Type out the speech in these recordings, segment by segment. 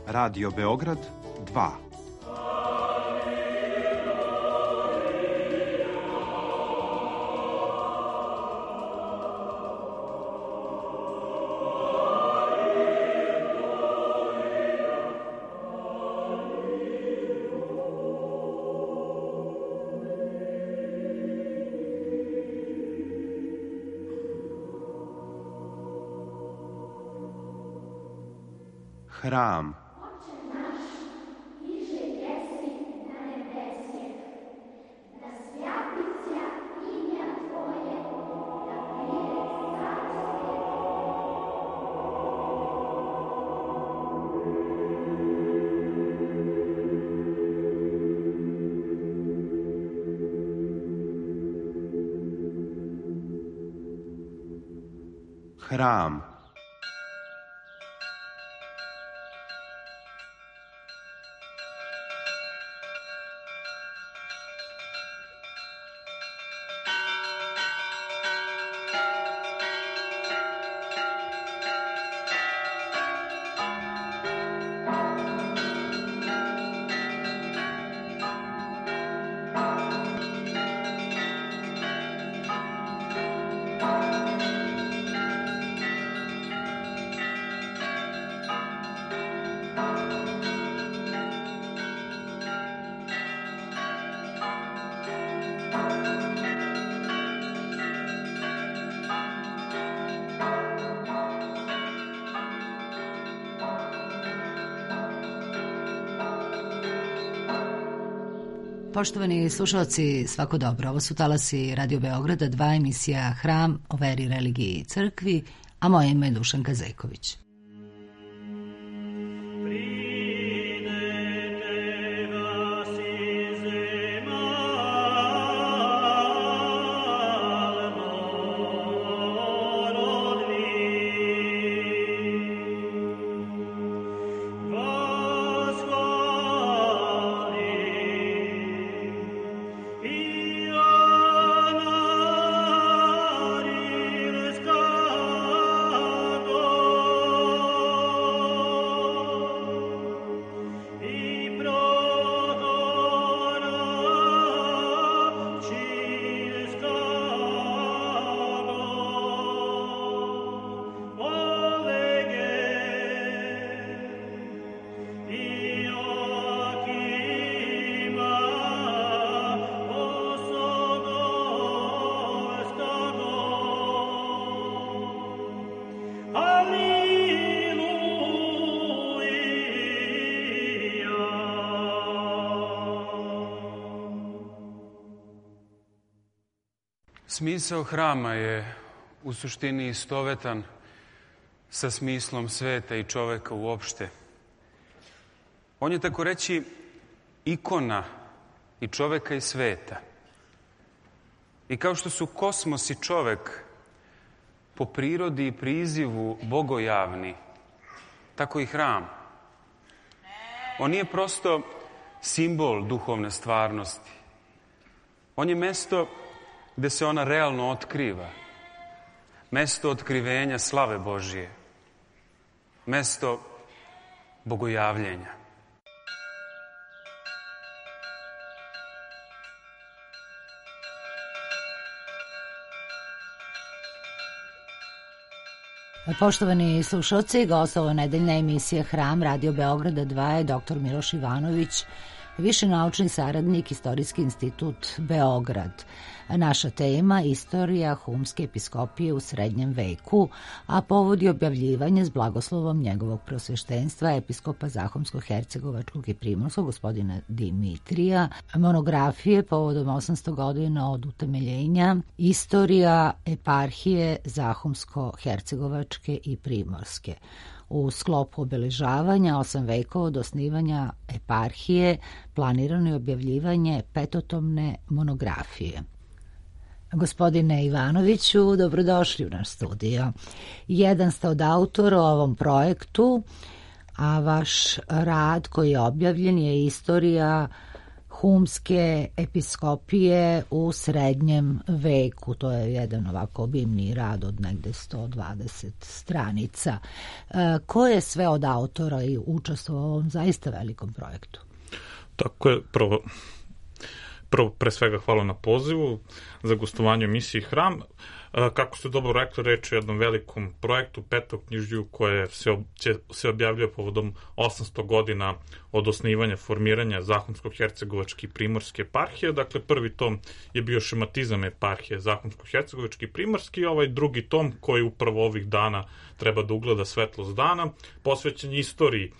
Radio Beograd 2. Hram. Hram. Poštovani slušalci, svako dobro. Ovo su talasi Radio Beograda 2, emisija Hram o veri, religiji i crkvi, a moje ime je Dušanka Zejković. Smisao hrama je u suštini istovetan sa smislom sveta i čoveka uopšte. On je, tako reći, ikona i čoveka i sveta. I kao što su kosmos i čovek po prirodi i prizivu bogojavni, tako i hram. On nije prosto simbol duhovne stvarnosti. On je mesto gde se ona realno otkriva. Mesto otkrivenja slave Božije. Mesto bogojavljenja. Poštovani slušalci, gost ovo nedeljna emisija Hram Radio Beograda 2 je dr. Miloš Ivanović, više naučni saradnik, Istorijski institut Beograd. Naša tema – istorija Humske episkopije u srednjem veku, a povodi objavljivanje s blagoslovom njegovog prosveštenstva episkopa Zahumsko-Hercegovačkog i Primorskog, gospodina Dimitrija, monografije povodom 800 godina od utemeljenja, istorija eparhije Zahumsko-Hercegovačke i Primorske. U sklopu obeležavanja 8 vekova od osnivanja eparhije planirano je objavljivanje petotomne monografije. Gospodine Ivanoviću, dobrodošli u naš studio. Jedan ste od autora o ovom projektu, a vaš rad koji je objavljen je istorija humske episkopije u srednjem veku. To je jedan ovako obimni rad od negde 120 stranica. Ko je sve od autora i učestvovao u ovom zaista velikom projektu? Tako je, prvo pre svega hvala na pozivu za gostovanje u emisiji Hram. Kako ste dobro rekli, reč je o jednom velikom projektu, petoknjižju koje se objavljuje povodom 800 godina od osnivanja, formiranja Zahumsko-hercegovačke i Primorske eparhije. Dakle, prvi tom je bio šematizam eparhije Zahumsko-hercegovačke i Primorske i ovaj drugi tom koji upravo ovih dana treba da ugleda svetlost dana, posvećen istoriji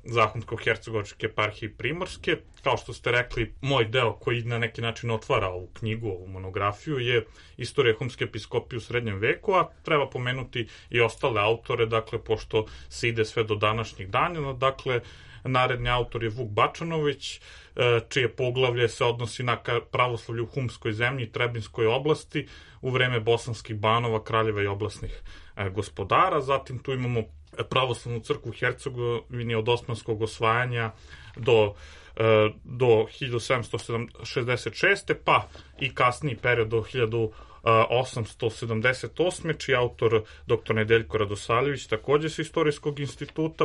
Zahumsko-hercegovačke eparhije i Primorske. Kao što ste rekli, moj deo koji na neki način otvara ovu knjigu, ovu monografiju, je istorija humske episkopije u srednjem veku, a treba pomenuti i ostale autore, dakle, pošto se ide sve do današnjih dana. Dakle, naredni autor je Vuk Bačanović, čije poglavlje se odnosi na pravoslavlje u humskoj zemlji i Trebinskoj oblasti u vreme bosanskih banova, kraljeva i oblasnih gospodara. Zatim tu imamo pravoslavnu crkvu u Hercegovini od osmanskog osvajanja do 1766. pa i kasniji period do 1878. čiji autor dr. Nedeljko Radosavljević, takođe sa Istorijskog instituta.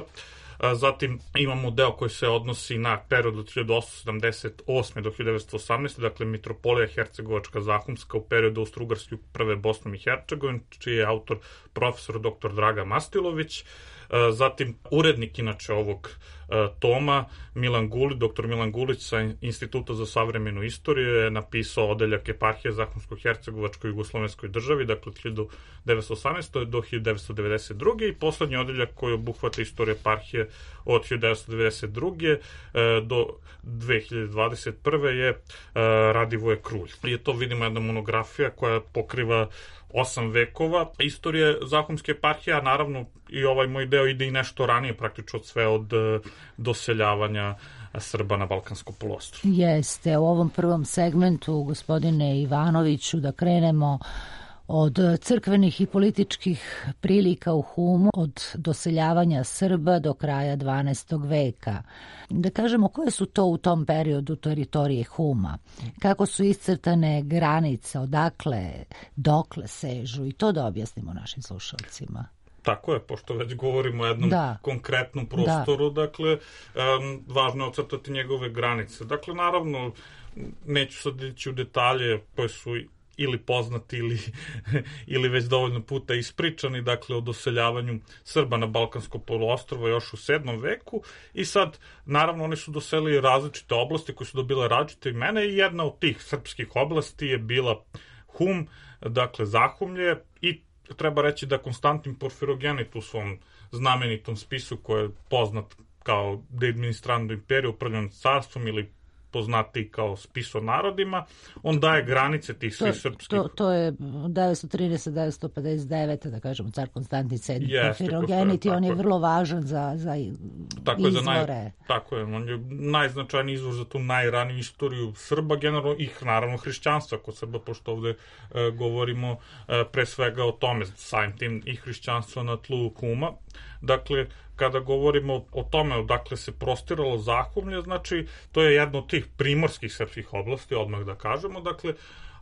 Zatim imamo deo koji se odnosi na period od 1878. do 1918. Dakle, Mitropolija Hercegovačka Zahumska u periodu Austro-Ugarske uprave Bosnom i Hercegovinom, čiji je autor profesor dr. Draga Mastilović. Zatim, urednik inače ovog toma, dr. Milan Gulić sa Instituta za savremenu istoriju je napisao odeljak eparhije Zahumsko-hercegovačkoj jugoslovenskoj državi, dakle od 1918. do 1992. i poslednji odeljak koji obuhvata istoriju eparhije od 1992. do 2021. je Radivoje Krulj. I to vidimo jedna monografija koja pokriva 8 vekova istorije Zahumske eparhije, a naravno i ovaj moj deo ide i nešto ranije, praktično sve od doseljavanja Srba na Balkansko poluostrvo. Jeste, u ovom prvom segmentu, gospodine Ivanoviću, da krenemo od crkvenih i političkih prilika u Humu, od doseljavanja Srba do kraja 12. veka. Da kažemo, koje su to u tom periodu teritorije Huma? Kako su iscrtane granice, odakle, dokle sežu? I to da objasnimo našim slušalcima. Tako je, pošto već govorimo o jednom konkretnom prostoru, dakle, važno je ocrtati njegove granice. Dakle, naravno, neću sad ići u detalje koje su ili poznati ili već dovoljno puta ispričani, dakle, o doseljavanju Srba na Balkansko poluostrvo još u 7. veku i sad, naravno, oni su doselili različite oblasti koje su dobile različite imena i jedna od tih srpskih oblasti je bila Hum, dakle, Zahumlje, i treba reći da Konstantin Porfirogenit u svom znamenitom spisu koji je poznat kao De administrando imperio, upravljanje carstvom ili poznati kao spis o narodima, on daje granice tih svih srpskih... To je 930-959, da kažemo, car Konstantin VII Porfirogenit i on je vrlo važan za izvore. Tako je, on je najznačajniji izvor za tu najraniju istoriju Srba, generalno i naravno hrišćanstva kod Srba, pošto ovde govorimo pre svega o tome, samim tim i hrišćanstva na tlu Huma. Dakle, kada govorimo o tome odakle se prostiralo Zahumlje, znači to je jedna od tih primorskih srpskih oblasti, odmah da kažemo. Dakle,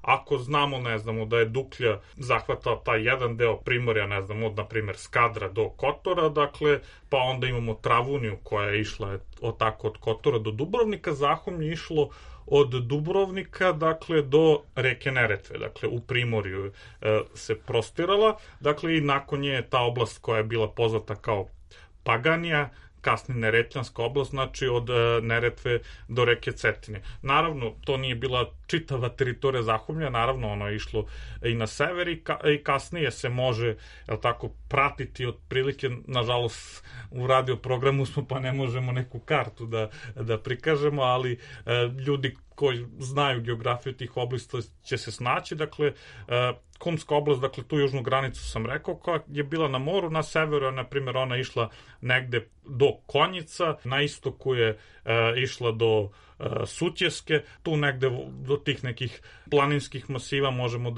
ako znamo, ne znamo, da je Duklja zahvatala taj jedan deo primorja, ne znamo, od, na primjer, Skadra do Kotora, dakle, pa onda imamo Travuniju koja je išla od Kotora do Dubrovnika, Zahumlje išlo od Dubrovnika, dakle, do reke Neretve, dakle, u primorju se prostirala, dakle, i nakon nje ta oblast koja je bila poznata kao Paganija, kasnije Neretljanska oblast, znači od Neretve do reke Cetine. Naravno, to nije bila čitava teritorija Zahumlja, naravno, ono je išlo i na sever i kasnije se može, tako, pratiti otprilike, nažalost, u radio programu smo pa ne možemo neku kartu da prikažemo, ali ljudi koji znaju geografiju tih oblasta će se snaći. Dakle, Humska oblast, dakle, tu južnu granicu sam rekao, koja je bila na moru, na severu, na primjer, ona išla negde do Konjica, na istoku je išla do Sutjeske. Tu negde do tih nekih planinskih masiva možemo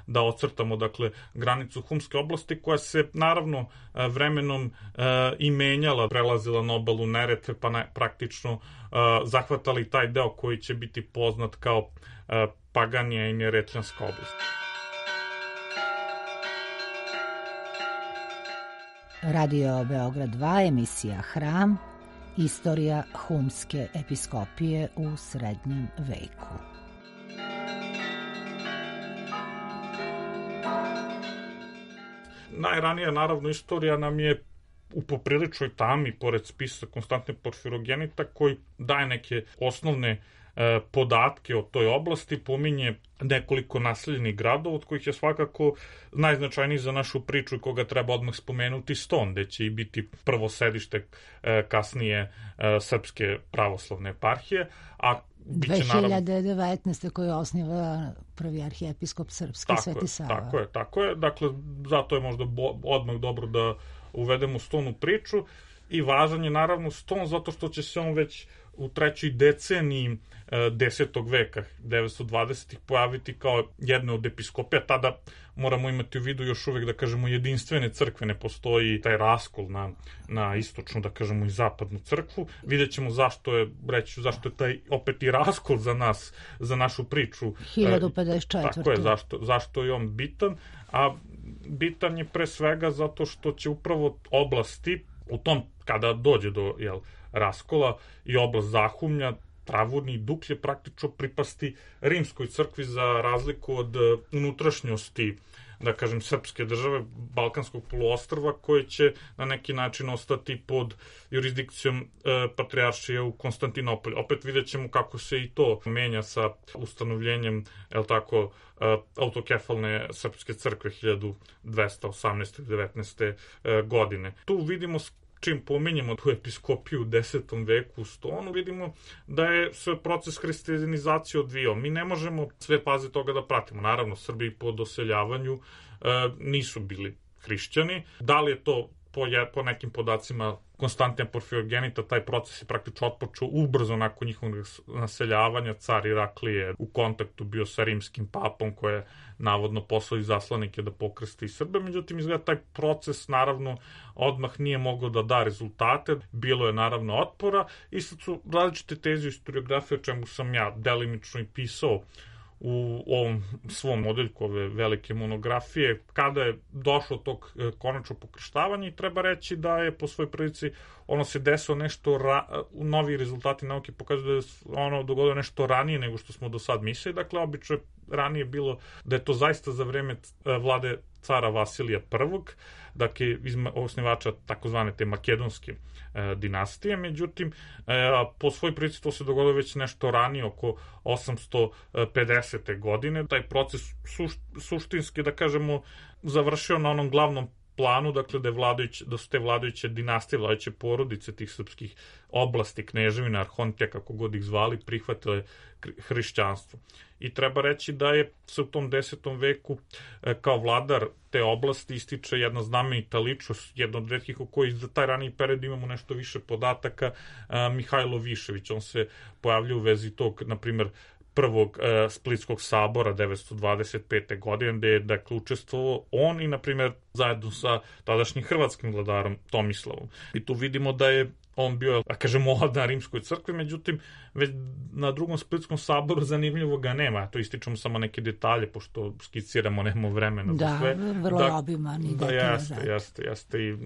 da ocrtamo, dakle, granicu Humske oblasti, koja se naravno vremenom i menjala, prelazila na obalu Neretve, pa praktično zahvatali taj deo koji će biti poznat kao Paganija i Neretvanska oblast. Radio Beograd 2, emisija Hram, istorija Humske episkopije u srednjem veku. Najranija, naravno, istorija nam je u popriličnoj tami, pored spisa Konstantine Porfirogenita, koji daje neke osnovne podatke o toj oblasti, pominje nekoliko naseljenih gradova, od kojih je svakako najznačajniji za našu priču i koga treba odmah spomenuti Ston, gde će i biti prvo sedište kasnije Srpske pravoslavne eparhije, a 2019. koji osniva prvi arhijepiskop srpski, Sveti Sava. Tako je. Dakle, zato je možda odmah dobro da uvedemo Ston u priču, i važan je naravno Ston zato što će se on već u trećoj deceniji 10. veka, 920. pojaviti kao jedna od episkopija. Tada moramo imati u vidu još uvek, da kažemo, jedinstvene crkve, ne postoji taj raskol na istočnu, da kažemo, i zapadnu crkvu. Vidjet ćemo zašto je taj opet i raskol za nas, za našu priču. 1054. Tako je, zašto je on bitan, a bitan je pre svega zato što će upravo oblasti u tom, kada dođe do raskola, i oblast Zahumlja, Travunije i Duklje praktično pripasti rimskoj crkvi, za razliku od unutrašnjosti, da kažem, srpske države, Balkanskog poluostrva, koje će na neki način ostati pod jurisdikcijom patrijaršije u Konstantinopolju. Opet vidjet ćemo kako se i to menja sa ustanovljenjem, autokefalne srpske crkve 1218-19. godine. Tu vidimo, čim pominjemo tu episkopiju u 10. veku u Stonu, vidimo da je sve proces hrišćanizacije odvijao. Mi ne možemo sve faze toga da pratimo. Naravno, Srbi po doseljavanju nisu bili hrišćani. Da li je to po nekim podacima Konstantina Porfirogenita, taj proces je praktično otpočeo ubrzo nakon njihovog naseljavanja. Car Iraklije u kontaktu bio sa rimskim papom, koji je navodno poslao izaslanike da pokrsti Srbe. Međutim, izgleda taj proces naravno odmah nije mogao da da rezultate. Bilo je naravno otpora i sad su različite teze historiografije, o čemu sam ja delimično i pisao u ovom svom odeljku ove velike monografije, kada je došlo tog konačnog pokrštavanja, i treba reći da je po svoj prilici ono se desilo nešto, novi rezultati nauke pokazuju da je ono dogodilo nešto ranije nego što smo do sad mislili. Dakle, obično je ranije bilo da je to zaista za vreme vlade cara Vasilija I, dakle, osnivača takozvane te makedonske dinastije. Međutim, po svoj prilici to se dogodilo već nešto ranije, oko 850. godine. Taj proces suštinski, da kažemo, završio na onom glavnom planu, dakle, da su te vladajuće dinastije, vladajuće porodice tih srpskih oblasti, kneževina, arhontija, kako god ih zvali, prihvatile hrišćanstvo. I treba reći da je se u tom 10. veku kao vladar te oblasti ističe jedna znamenita ličnost, jedna od retkih u kojoj za taj raniji period imamo nešto više podataka, Mihajlo Višević. On se pojavlja u vezi tog, na primjer, prvog Splitskog sabora 925. godine, gde je, dakle, učestvovao on i, na primjer, zajedno sa tadašnjim hrvatskim vladarom Tomislavom. I tu vidimo da je on bio, da kažem, mlad na rimskoj crkvi, međutim, već na drugom Splitskom saboru zanimljivo ga nema. To ističemo samo neke detalje, pošto skiciramo, nemamo vremena za sve. Da, vrlo je obiman i detaljan. Jeste. I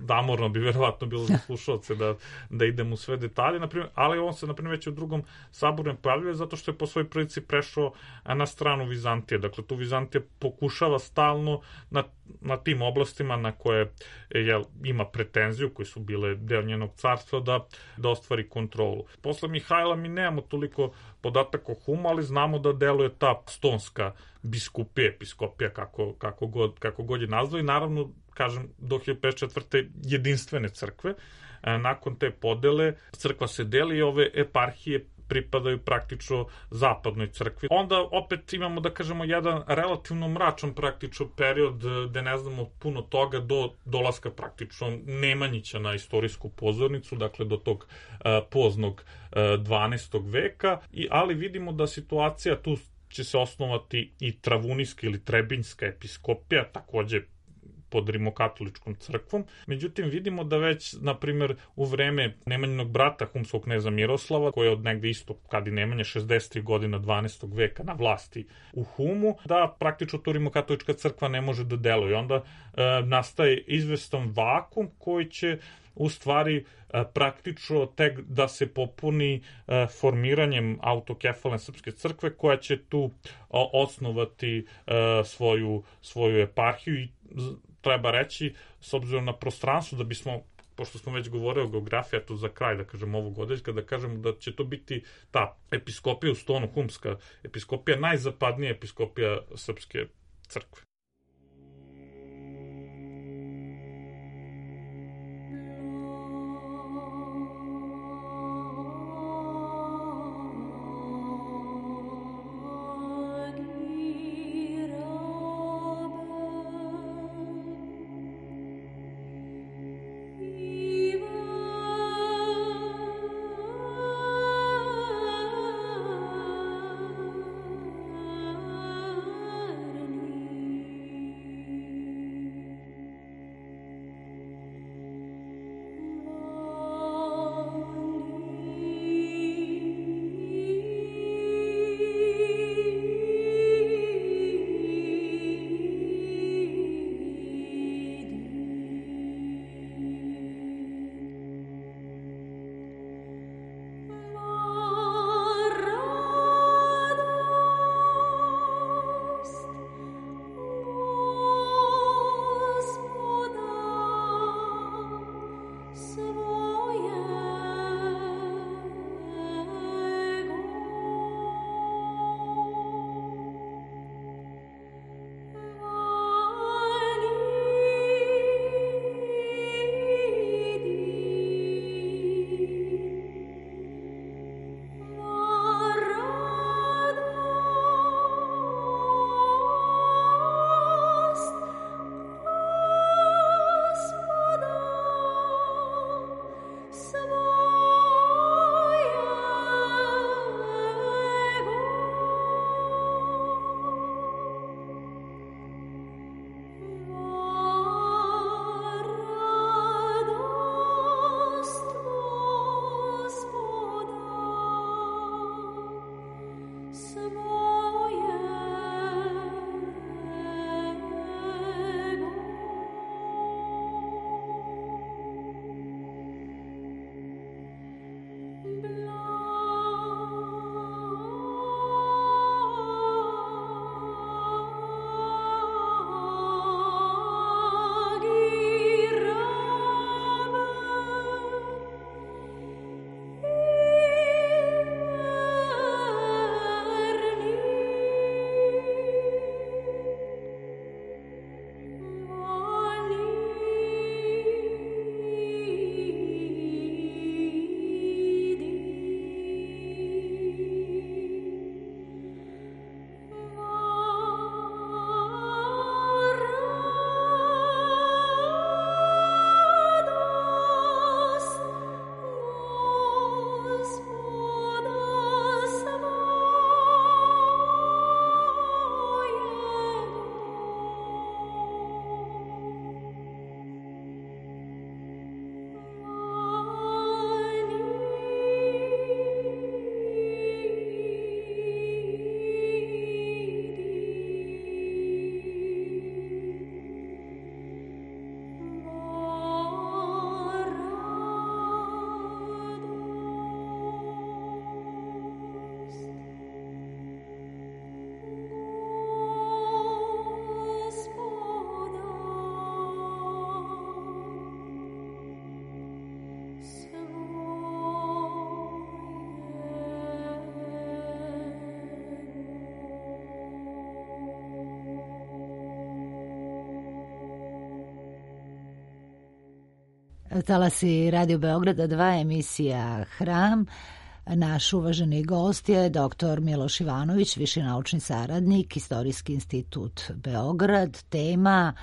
damorno bi verovatno bilo za slušalce da idemo u sve detalje, ali on se, na primjer, već u drugom saboru ne pojavljuje zato što je po svoj prilici prešao na stranu Vizantije. Dakle, tu Vizantija pokušava stalno na tim oblastima na koje ima pretenziju, koje su bile deo njenog carstva, da ostvari kontrolu. Posle Mihajla mi nemamo toliko podataka o Humu, ali znamo da deluje ta stonska biskupija, episkopija, kako god je nazva, i naravno, kažem, do 1054. jedinstvene crkve. Nakon te podele crkva se deli i ove eparhije pripadaju praktično zapadnoj crkvi. Onda opet imamo, da kažemo, jedan relativno mračan praktično period gde ne znamo puno toga do dolaska praktično Nemanjića na istorijsku pozornicu, dakle do tog poznog 12. veka, ali vidimo da situacija tu će se osnovati i Travunijska ili Trebinjska episkopija, takođe pod rimokatoličkom crkvom. Međutim, vidimo da već, na primjer, u vreme Nemanjinog brata, humskog kneza Miroslava, koji je od negde isto kad i Nemanja 63 godina 12. veka na vlasti u Humu, da praktično to rimokatolička crkva ne može da deluje. Onda nastaje izvestan vakum koji će u stvari praktično tek da se popuni formiranjem autokefalne srpske crkve koja će tu osnovati svoju eparhiju i treba reći, s obzirom na prostranstvo, da bismo, pošto smo već govorili o geografiji, a tu za kraj, da kažem, ovog odeljka, da kažemo da će to biti ta episkopija u Stonu, humska episkopija, najzapadnija episkopija srpske crkve. Talasi Radio Beograda 2, emisija Hram. Naš uvaženi gost je dr. Miloš Ivanović, viši naučni saradnik, Istorijski institut Beograd. Tema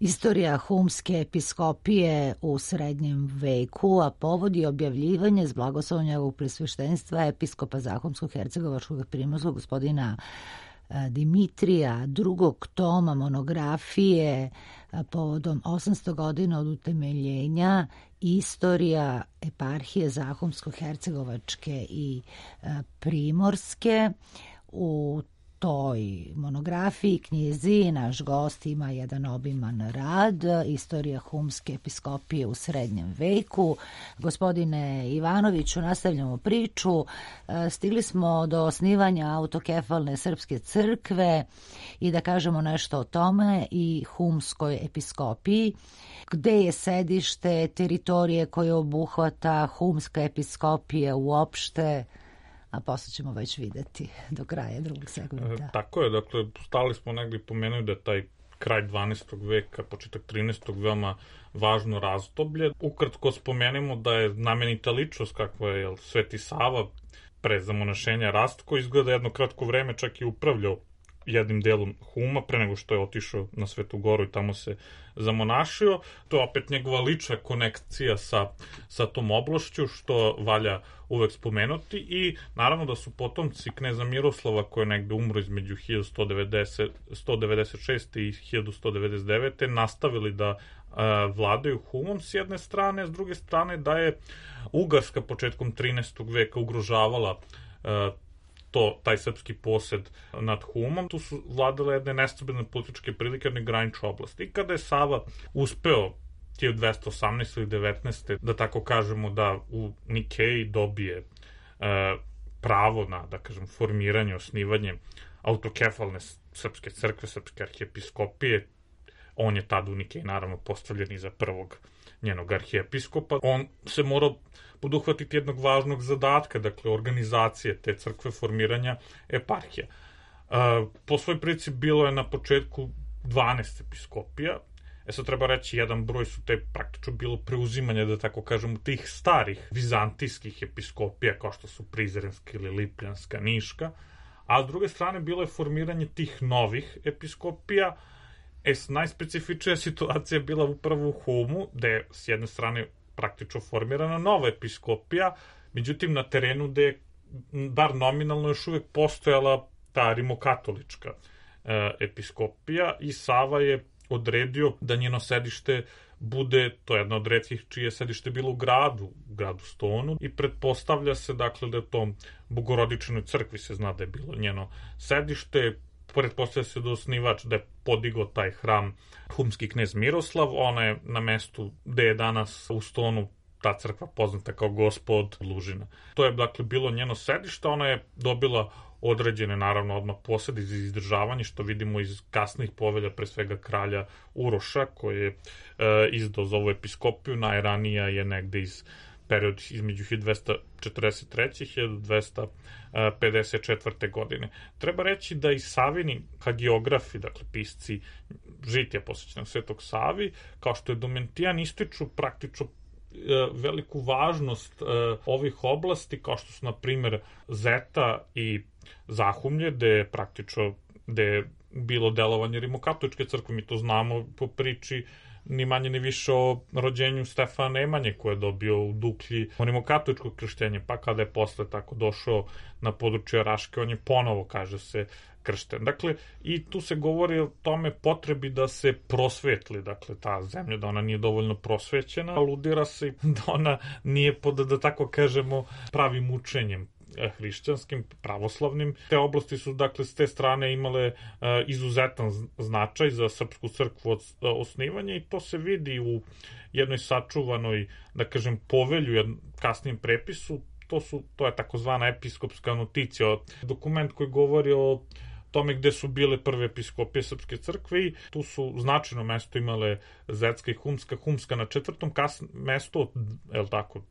istorija humske episkopije u srednjem veku, a povod je objavljivanje s blagoslovlja ovog presveštenstva episkopa Zahumsko-hercegovačkog i primorskog gospodina Dimitrija, drugog toma monografije povodom 800 godina od utemeljenja Istorija eparhije Zahumsko-hercegovačke i Primorske. U toj monografiji, knjizi, naš gost ima jedan obiman rad, Istorija humske episkopije u srednjem veku. Gospodine Ivanoviću, nastavljamo priču. Stigli smo do osnivanja autokefalne srpske crkve i da kažemo nešto o tome i humskoj episkopiji. Gde je sedište teritorije koje obuhvata humska episkopija uopšte, a posle ćemo već videti do kraja drugog segmenta. Tako je, dakle, stali smo negdje pomenuli da je taj kraj 12. veka, početak 13. veoma važno razdoblje. Ukratko spomenemo da je znamenita ličnost kakva je Sveti Sava pre zamonašenja Rastko, izgleda jedno kratko vreme čak i upravljao jednim delom Huma pre nego što je otišao na Svetu Goru i tamo se zamonašio. To je opet njegova lična konekcija sa tom oblašću, što valja uvek spomenuti, i naravno da su potomci kneza Miroslava, koji je negde umro između 1196. i 1199. nastavili da vladaju Humom s jedne strane, s druge strane da je Ugarska početkom 13. veka ugrožavala taj srpski posed nad Humom. Tu su vladale jedne nestabilne političke prilike na graničnoj oblasti. I kada je Sava uspeo 1218. ili 19. da tako kažemo da u Nikeji dobije pravo na, da kažem, formiranje, osnivanje autokefalne srpske crkve, srpske arhijepiskopije, on je tada u Nikeji naravno postavljen i za prvog njenog arhijepiskopa. On se morao poduhvatiti jednog važnog zadatka, dakle organizacije te crkve, formiranja eparhija. Po svoj prilici bilo je na početku 12 episkopija. Sad treba reći, jedan broj su te praktično bilo preuzimanje, da tako kažemo, tih starih vizantijskih episkopija, kao što su Prizrenska ili Lipljanska, Niška, a s druge strane bilo je formiranje tih novih episkopija. Najspecifičnija situacija je bila upravo u Humu, gde je s jedne strane praktično formirana nova episkopija, međutim na terenu gde je, bar nominalno, još uvek postojala ta rimokatolička episkopija, i Sava je odredio da njeno sedište bude, to je jedna od retkih čije sedište bilo u gradu Stonu, i pretpostavlja se, dakle, da je to Bogorodičnoj crkvi se zna da je bilo njeno sedište. Pretpostavlja se da osnivač, da je podigao taj hram humski knez Miroslav. Ona je na mestu gde je danas u Stonu ta crkva poznata kao Gospod Lužina. To je, dakle, bilo njeno sedište. Ona je dobila određene, naravno, odmah posede za izdržavanje, što vidimo iz kasnih povelja, pre svega kralja Uroša, koji je izdao za ovu episkopiju. Najranija je negde iz period između 1243. i 1254. godine. Treba reći da i Savini hagiografi, dakle pisci žitija posvećenog Svetog Savi, kao što je Domitijan, ističu praktično veliku važnost ovih oblasti, kao što su, na primer, Zeta i Zahumlje, gde je bilo delovanje rimokatoličke crkve. Mi to znamo po priči ni manje ni više o rođenju Stefana Nemanje, koji je dobio u Duklji rimokatoličko krštenje, pa kada je posle tako došao na područje Raške, on je ponovo, kaže se, kršten. Dakle, i tu se govori o tome potrebi da se prosvetli, dakle, ta zemlja, da ona nije dovoljno prosvećena, aludira se da ona nije pod, da tako kažemo, pravim učenjem hrišćanskim, pravoslavnim. Te oblasti su, dakle, s te strane imale izuzetan značaj za srpsku crkvu od osnivanja, i to se vidi u jednoj sačuvanoj, da kažem, povelju, kasnijem prepisu. To je takozvana episkopska noticija, dokument koji govori o tome gde su bile prve episkopije srpske crkve, i tu su značajno mesto imale Zetska i Humska na 4. mesto, je li tako,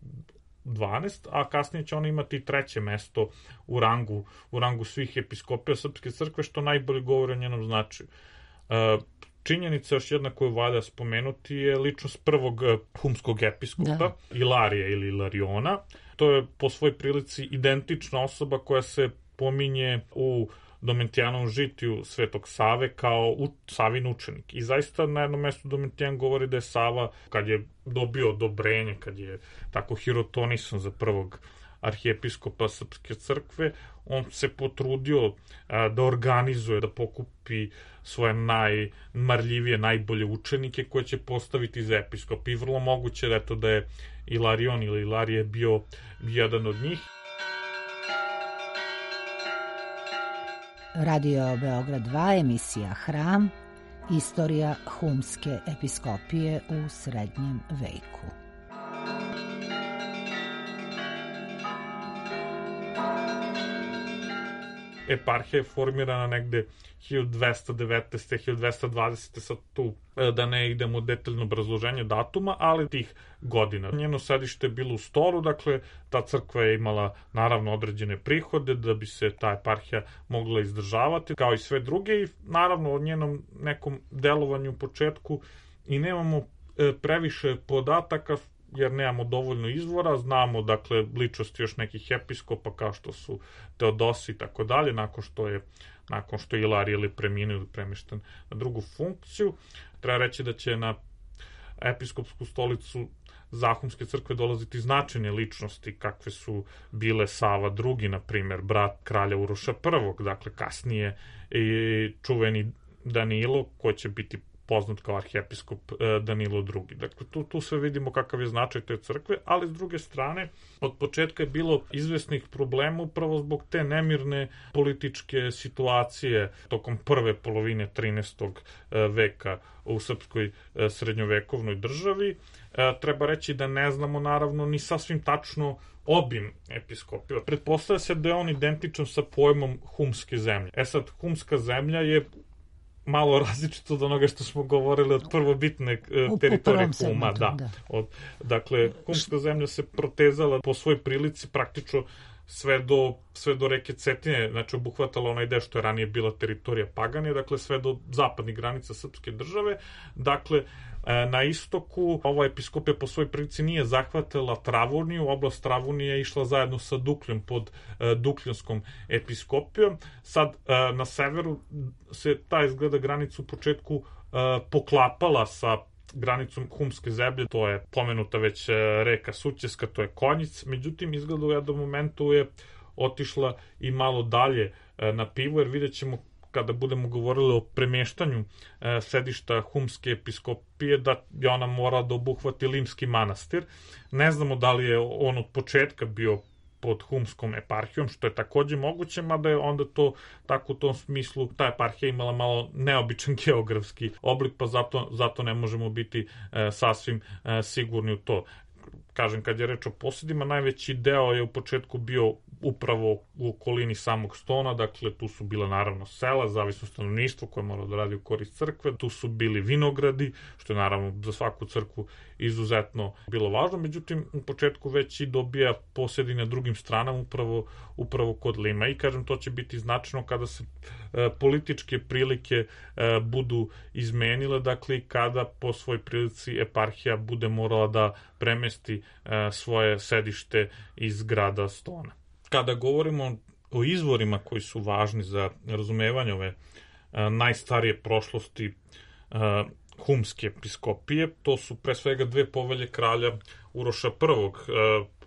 12, a kasnije će ona imati i 3. mesto u rangu svih episkopija srpske crkve, što najbolje govori o njenom značaju. Činjenica još jedna koju valja spomenuti je ličnost prvog humskog episkopa, Ilarija ili Ilariona. to je po svoj prilici identična osoba koja se pominje u Domitijanovom žitiju Svetog Save kao Savin učenik. I zaista na jednom mestu Domitijan govori da je Sava, kad je dobio odobrenje, kad je tako hirotonisan za prvog arhijepiskopa Srpske crkve, on se potrudio da organizuje, da pokupi svoje najmarljivije, najbolje učenike koje će postaviti za episkop. I vrlo moguće da je Ilarion ili Ilarije bio jedan od njih. Radio Beograd 2, emisija Hram, istorija humske episkopije u srednjem veku. Eparhija je formirana negde 1219. 1220. sad tu da ne idemo detaljno obrazloženje datuma, ali tih godina. Njeno sedište je bilo u Storu, dakle ta crkva je imala naravno određene prihode da bi se ta eparhija mogla izdržavati, kao i sve druge, i naravno o njenom nekom delovanju u početku i nemamo previše podataka, jer nemamo dovoljno izvora, znamo dakle ličnosti još nekih episkopa kao što su Teodosi i tako dalje, nakon što je Ilarije ili preminuo ili premešten na drugu funkciju. Treba reći da će na episkopsku stolicu Zahumske crkve dolaziti značajne ličnosti kakve su bile Sava II, na primjer, brat kralja Uroša I, dakle kasnije i čuveni Danilo, koji će biti poznat kao arhijepiskop Danilo II. Dakle, tu sve vidimo kakav je značaj te crkve, ali s druge strane, od početka je bilo izvesnih problema upravo zbog te nemirne političke situacije tokom prve polovine 13. veka u srpskoj srednjovekovnoj državi. Treba reći da ne znamo naravno ni sasvim tačno obim episkopija. Pretpostavlja se da je on identičan sa pojmom humske zemlje. Sad, humska zemlja je malo različito od onoga što smo govorili od prvobitne teritorije Huma. Dakle, humska zemlja se protezala po svojoj prilici praktično sve do reke Cetine, znači obuhvatala onaj deo što je ranije bila teritorija Paganije, dakle sve do zapadnih granica srpske države. Dakle, na istoku ova episkopija po svojoj prilici nije zahvatila Travuniju, oblast Travunije je išla zajedno sa Dukljom pod Dukljanskom episkopijom. Sad, na severu se ta izgleda granica u početku poklapala sa granicom humske zemlje, to je pomenuta već reka Sućeska, to je Konjic, međutim izgleda u jednom momentu je otišla i malo dalje na Pivu, jer vidjet ćemo kada budemo govorili o premještanju sedišta humske episkopije da je ona morala da obuhvati Limski manastir. Ne znamo da li je on od početka bio pod humskom eparhijom, što je takođe moguće, mada je onda to tako u tom smislu ta eparhija imala malo neobičan geografski oblik, pa zato ne možemo biti sasvim sigurni u to. Kažem, kad je reč o posedima, najveći deo je u početku bio upravo u okolini samog Stona, dakle tu su bila naravno sela, zavisno stanovništvo koje moralo da radi u korist crkve, tu su bili vinogradi, što je naravno za svaku crkvu izuzetno bilo važno, međutim u početku već i dobija posedi na drugim stranama, upravo kod Lima, i kažem, to će biti značajno kada se političke prilike budu izmenile, dakle kada po svoj prilici eparhija bude morala da premesti svoje sedište iz grada Stona. Kada govorimo o izvorima koji su važni za razumevanje ove najstarije prošlosti humske episkopije, to su pre svega dve povelje kralja Uroša I,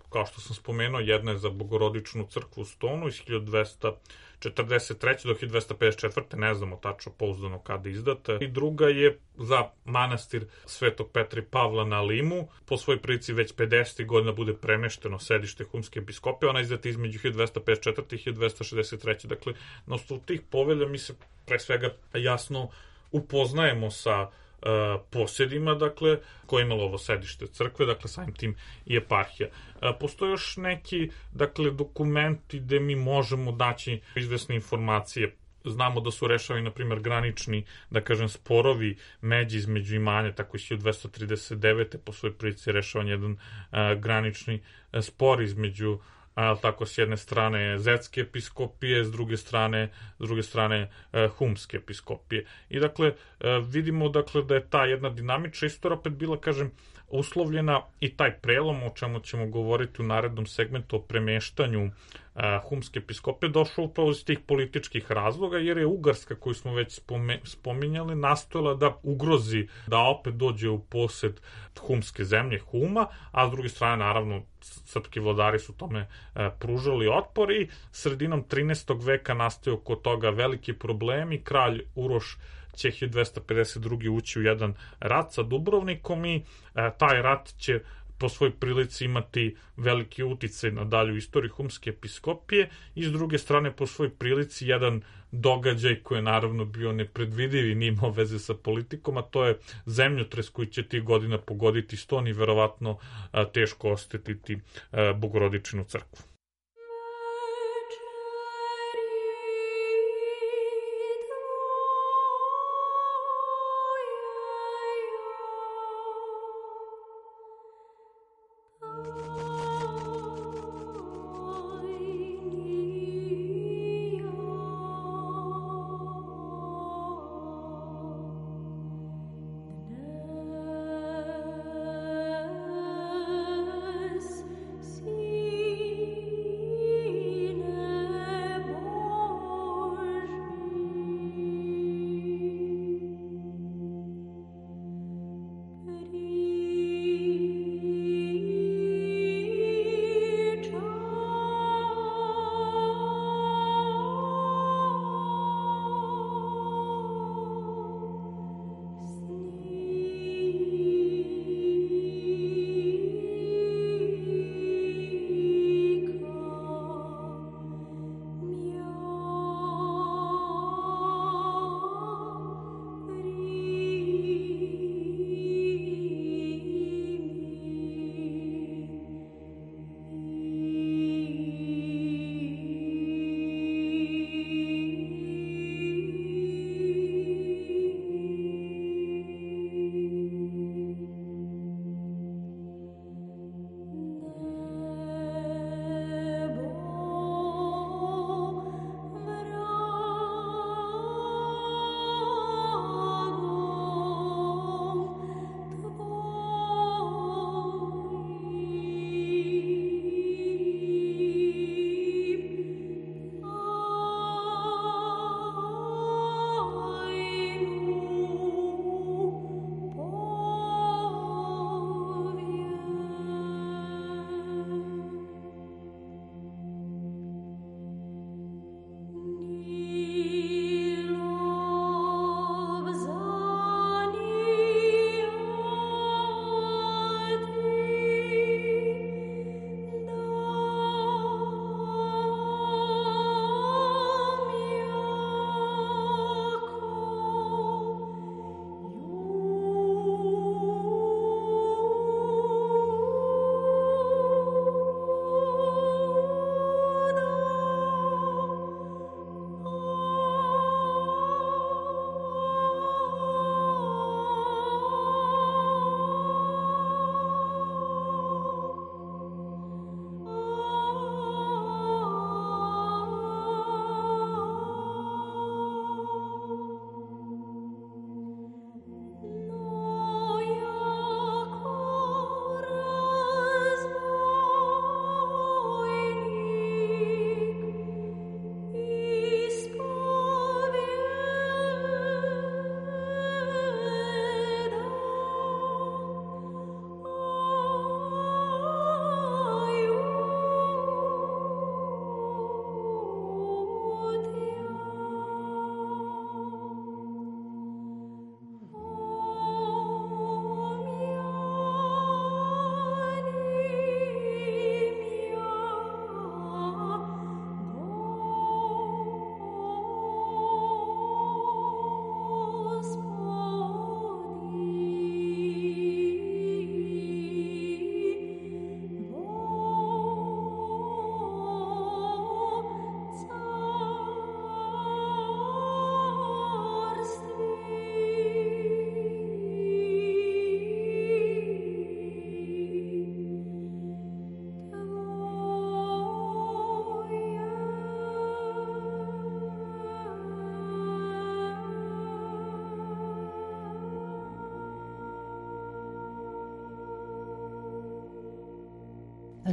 kao što sam spomenuo, jedna je za Bogorodičnu crkvu u Stonu iz 1243. do 1254. ne znamo tačno pouzdano kada izdata, i druga je za manastir Svetog Petra i Pavla na Limu, po svojoj prilici već 50. godina bude premešteno sedište humske episkopije, ona je izdata između 1254. i 1263. Dakle, na osnovu tih povelja mi se pre svega jasno upoznajemo sa posjedima, dakle, koje je imalo ovo sedište crkve, dakle, samim tim i eparhija. Postoje još neki, dakle, dokumenti gde mi možemo daći izvesne informacije. Znamo da su rešavani, na primjer, granični, da kažem, sporovi međi između imanja, tako i 1239. po svojoj prilici rešavan jedan granični spor između tako s jedne strane Zetske episkopije, s druge strane humske episkopije. I dakle vidimo dakle da je ta jedna dinamična istorija opet bila, kažem, uslovljena i taj prelom, o čemu ćemo govoriti u narednom segmentu o premeštanju humske episkopije, došao upravo iz tih političkih razloga, jer je Ugarska, koju smo već spominjali, nastojala da ugrozi da opet dođe u posed humske zemlje Huma, a s druge strane, naravno, srpski vladari su tome pružali otpor i sredinom 13. veka nastaju oko toga veliki problemi. Kralj Uroš će 1252. ući u jedan rat sa Dubrovnikom i taj rat će po svoj prilici imati veliki uticaj na dalju istoriju humske episkopije i s druge strane po svoj prilici jedan događaj koji je naravno bio nepredvidiv i nimao veze sa politikom, a to je zemljotres koji će tih godina pogoditi Ston i verovatno teško oštetiti Bogorodičinu crkvu.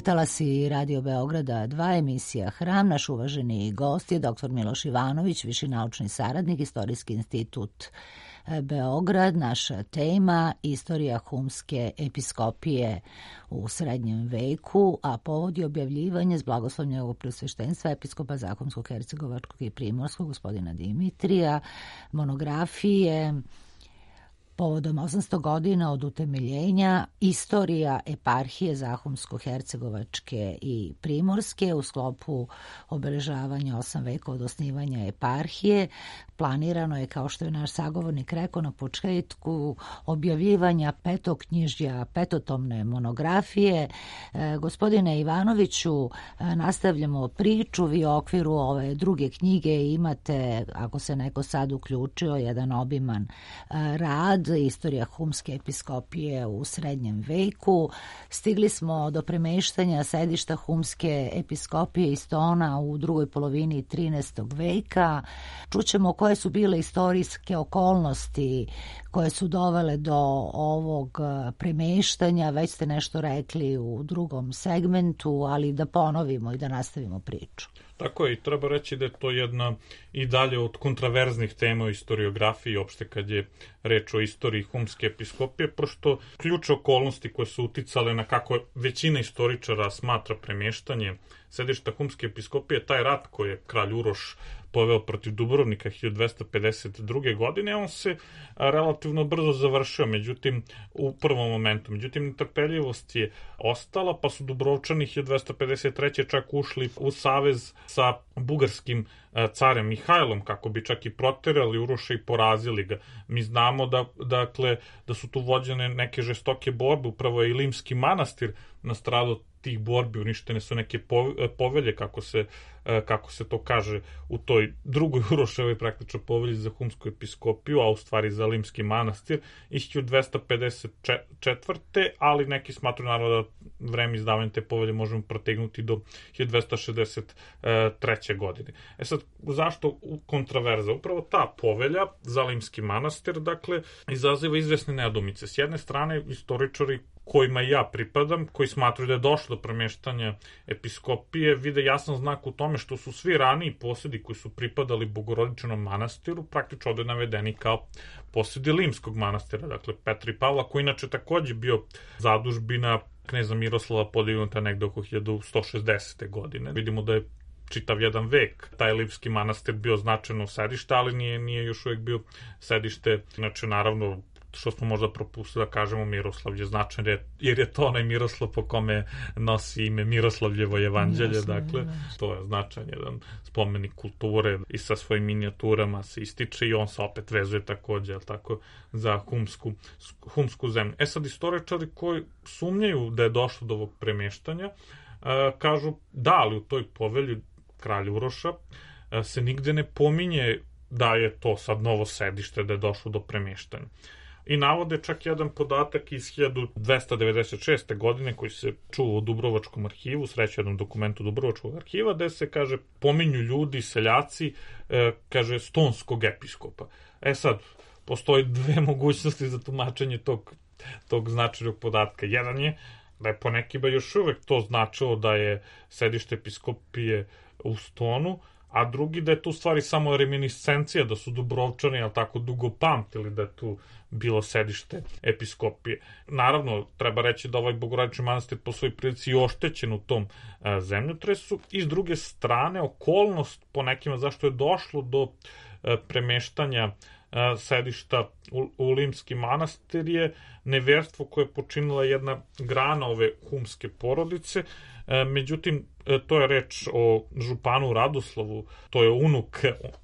Talasi Radio Beograda 2, emisija Hram. Naš uvaženi gost je dr. Miloš Ivanović, viši naučni saradnik, Istorijski institut Beograd. Naša tema istorija humske episkopije u srednjem veku, a povod je objavljivanje s blagoslovljem njegovog preosveštenstva episkopa Zahumskog, Hercegovačkog i Primorskog, gospodina Dimitrija, monografije povodom 800 godina od utemeljenja istorija eparhije Zahumsko-Hercegovačke i Primorske u sklopu obeležavanja 8 veka od osnivanja eparhije. Planirano je, kao što je naš sagovornik rekao na početku, objavljivanja petoknjižja, petotomne monografije. Gospodine Ivanoviću, nastavljamo priču. Vi u okviru ove druge knjige imate, ako se neko sad uključio, jedan obiman rad, istorija humske episkopije u srednjem veku. Stigli smo do premeštanja sedišta humske episkopije iz Tona u drugoj polovini 13. veka. Čućemo koje su bile istorijske okolnosti koje su dovele do ovog premeštanja. Već ste nešto rekli u drugom segmentu, ali da ponovimo i da nastavimo priču. Tako je, i treba reći da je to jedna i dalje od kontraverznih tema u historiografiji, opšte kad je reč o istoriji humske episkopije, pošto ključne okolnosti koje su uticale na kako većina istoričara smatra premještanje sedišta humske episkopije, taj rat koji je kralj Uroš poveo protiv Dubrovnika 1252. godine, on se relativno brzo završio, međutim, u prvom momentu. Međutim, netrpeljivost je ostala, pa su Dubrovčani 1253. čak ušli u savez sa bugarskim carem Mihajlom, kako bi čak i proterali Uroša i porazili ga. Mi znamo da su tu vođene neke žestoke borbe, upravo je i Limski manastir nastradao tih borbi, uništene su neke povelje, kako se to kaže u toj drugoj Uroševoj praktično povelji za humsku episkopiju, a u stvari za Limski manastir iz 1254. ali neki smatruju naravno da vreme izdavanja te povelje možemo protegnuti do 1263. godine. Sad, zašto kontraverza? Upravo ta povelja za Limski manastir, izaziva izvesne nedoumice. S jedne strane, istoričari kojima ja pripadam, koji smatruju da je došlo do premještanja episkopije, vide jasan znak u tome što su svi raniji posjedi koji su pripadali Bogorodičinom manastiru praktično ovde navedeni kao posjedi Limskog manastira, dakle Petra i Pavla, koji inače takođe bio zadužbina kneza Miroslava podignuta negde oko 1160. godine. Vidimo da je čitav jedan vek taj Limski manastir bio značajno sedište, ali nije još uvijek bio sedište, znači naravno što smo možda propustili da kažemo, Miroslavlje značajno, jer je to onaj Miroslav po kome nosi ime Miroslavljevo evanđelje, to je značajan jedan spomenik kulture i sa svojim minijaturama se ističe i on se opet vezuje takođe, za humsku zemlju. Sad, istoričari koji sumnjaju da je došlo do ovog premještanja, kažu da, ali u toj povelji kralja Uroša se nigde ne pominje da je to sad novo sedište, da je došlo do premještanja. I navode čak jedan podatak iz 1296. godine koji se čuva u Dubrovačkom arhivu, sreći jednom dokumentu Dubrovačkog arhiva, gde se, kaže, pominju ljudi, seljaci, kaže, stonskog episkopa. Sad, postoji dve mogućnosti za tumačenje tog značajnog podatka. Jedan je da je po nekima još uvek to značilo da je sedište episkopije u Stonu, a drugi da je tu stvari samo reminiscencija, da su Dubrovčani, dugo pamtili da je tu bilo sedište episkopije. Naravno, treba reći da ovaj Bogorodični manastir po svojoj prilici je oštećen u tom zemljotresu i s druge strane, okolnost po nekima zašto je došlo do premeštanja sedišta u Limski manastir je neverstvo koje je počinila jedna grana ove humske porodice. Međutim, to je reč o županu Radoslavu, to je unuk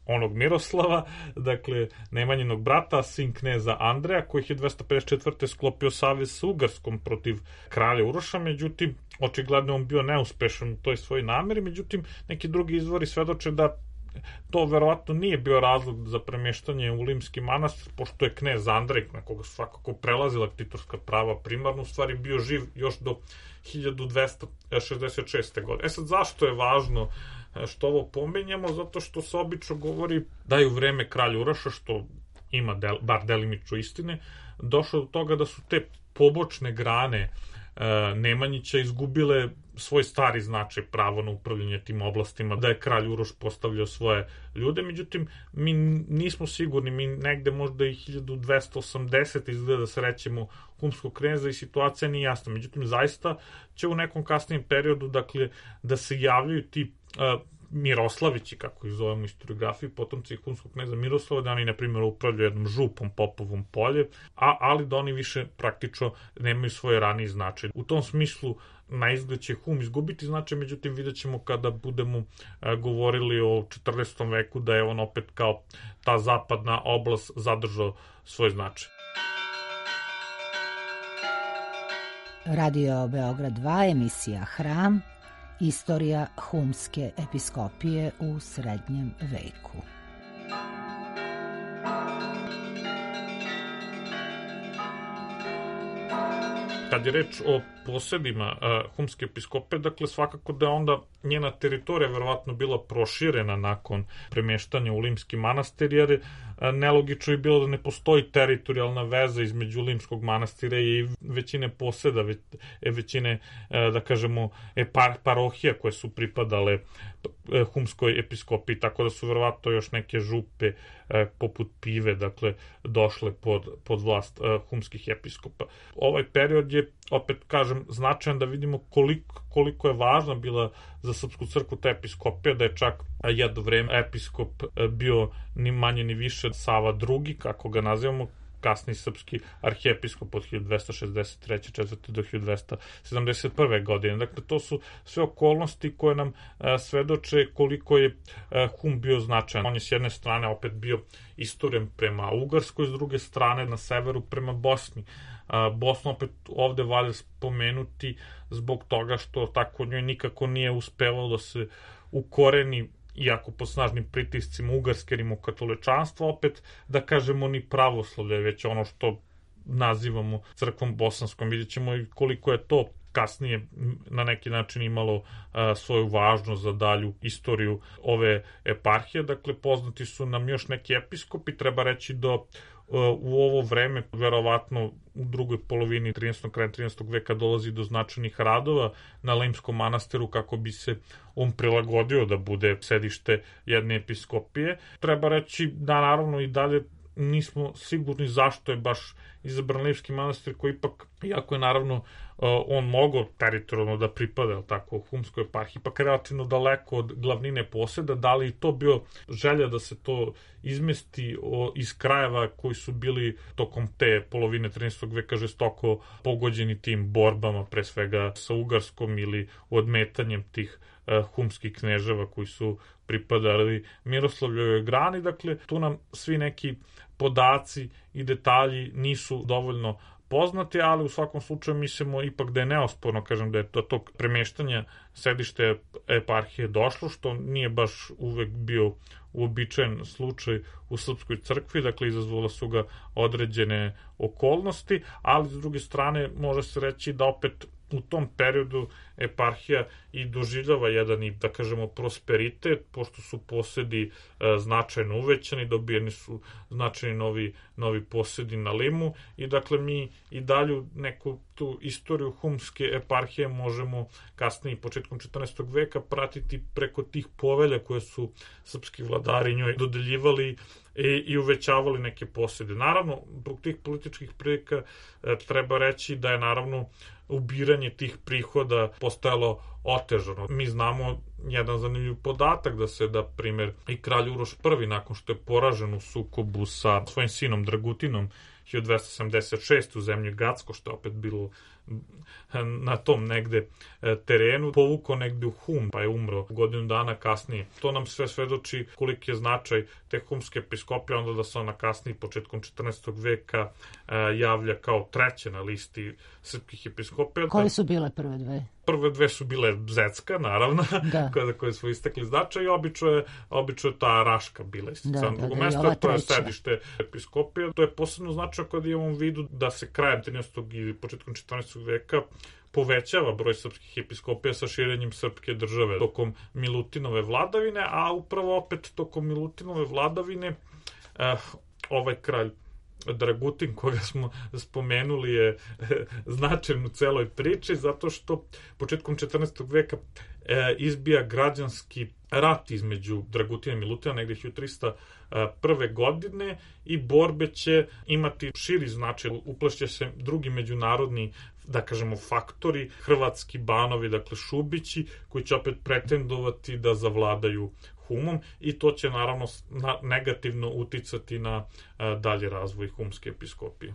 onog Miroslava, dakle Nemanjinog brata, sin kneza Andreja, koji je 1254. sklopio savez s Ugarskom protiv kralja Uroša, međutim, očigledno on bio neuspešan u toj svojoj nameri, međutim, neki drugi izvori svedoče da to verovatno nije bio razlog za premještanje u Limski manastir, pošto je knez Andrej, na koga su svakako prelazila titorska prava primarno, u stvari bio živ još do 1266. godine. Sad, zašto je važno što ovo pomenjamo? Zato što se obično govori da je u vreme kralja Uroša, što ima bar delimično istine, došlo do toga da su te pobočne grane Nemanjića izgubile svoj stari značaj, pravo na upravljanje tim oblastima, da je kralj Uroš postavljao svoje ljude, međutim, mi nismo sigurni, mi negde možda i 1280 izgleda da se rećemo humskog kneza i situacija nije jasna, međutim, zaista će u nekom kasnijem periodu, dakle, da se javljaju ti Miroslavići, kako ih zovemo u historiografiji, potomci humskog kneza Miroslava, da oni, na primjer, upravljaju jednom župom Popovom polje, ali da oni više praktično nemaju svoje raniji značaj. U tom smislu, na izgled će hum izgubiti značaj, međutim, vidjet ćemo kada budemo govorili o 14. veku da je on opet kao ta zapadna oblast zadržao svoj značaj. Radio Beograd 2, emisija Hram, istorija humske episkopije u srednjem veku. Kad je reč o posedima humske episkopije, dakle svakako da je onda njena teritorija verovatno bila proširena nakon premeštanja u Limski manastir, jer nelogično je bilo da ne postoji teritorijalna veza između Limskog manastira i većine poseda, većine, da kažemo, parohija koje su pripadale humskoj episkopiji, tako da su verovatno još neke župe poput Pive, dakle, došle pod vlast humskih episkopa. Ovaj period je, opet kažem, značajan da vidimo koliko je važna bila za srpsku crkvu ta episkopija, da je čak jedno vreme episkop bio ni manje ni više Sava II, kako ga nazivamo, kasni srpski arhijepiskop od 1263. 4. do 1271. godine. Dakle, to su sve okolnosti koje nam svedoče koliko je hum bio značajan. On je s jedne strane opet bio istoren prema Ugarskoj, s druge strane na severu prema Bosni. Bosnu opet ovde valja spomenuti zbog toga što tako njoj nikako nije uspevalo da se ukoreni, iako pod snažnim pritiscima ugarske rimokatoličanstva, opet da kažemo ni pravoslavlje, već ono što nazivamo crkvom bosanskom. Vidjet ćemo i koliko je to kasnije na neki način imalo svoju važnost za dalju istoriju ove eparhije. Dakle, poznati su nam još neki episkopi, treba reći da u ovo vreme, verovatno u drugoj polovini 13. kraja 13. veka dolazi do značajnih radova na Limskom manastiru kako bi se on prilagodio da bude sedište jedne episkopije. Treba reći da naravno i dalje nismo sigurni zašto je baš izabran Limski manastir, koji ipak, iako je naravno on mogao teritorijalno da pripada tako humskoj eparhiji, ipak relativno daleko od glavnine poseda, da li to bio želja da se to izmesti iz krajeva koji su bili tokom te polovine 13. veka žestoko pogođeni tim borbama, pre svega sa Ugarskom ili odmetanjem tih humskih kneževa koji su pripadali Miroslavljevoj grani. Dakle, tu nam svi neki podaci i detalji nisu dovoljno poznati, ali u svakom slučaju mislimo ipak da je neosporno, kažem, da je do tog premeštanja sedište eparhije došlo, što nije baš uvek bio uobičajen slučaj u srpskoj crkvi, dakle izazvala su ga određene okolnosti, ali s druge strane može se reći da opet u tom periodu eparhija i doživljava jedan, i da kažemo, prosperitet, pošto su posedi značajno uvećani, dobijeni su značajni novi posedi na Limu, i dakle mi i dalju neku tu istoriju humske eparhije možemo kasnije, početkom 14. veka, pratiti preko tih povelja koje su srpski vladari njoj dodeljivali i uvećavali neke posede. Naravno, zbog tih političkih prilika treba reći da je naravno ubiranje tih prihoda postajalo otežano. Mi znamo jedan zanimljiv podatak da primjer, i kralj Uroš I, nakon što je poražen u sukobu sa svojim sinom Dragutinom 1276. u zemlji Gacko, što je opet bilo na tom negde terenu, povukao negde u Hum, pa je umro godinu dana kasnije. To nam sve svedoči koliki je značaj te humske episkopije, onda da se ona kasnije, početkom 14. veka, javlja kao treće na listi srpskih episkopija. Koje su bile prve dve? Prve dve su bile Zecka, naravno, koje su istekli značaj, i obično je ta Raška bila isticana. Drugo mesto, to je sedište episkopije. To je posebno značaj kada imamo u vidu da se krajem 13. i početkom 14. veka povećava broj srpskih episkopija sa širenjem srpske države tokom Milutinove vladavine, a upravo opet tokom Milutinove vladavine ovaj kralj Dragutin koga smo spomenuli je značajan u celoj priči zato što početkom 14. veka izbija građanski rat između Dragutina i Milutina negde 1301. godine i borbe će imati širi značaj, uplašće se drugi međunarodni, da kažemo, faktori, hrvatski banovi, dakle Šubići, koji će opet pretendovati da zavladaju Humom i to će naravno negativno uticati na dalji razvoj humske episkopije.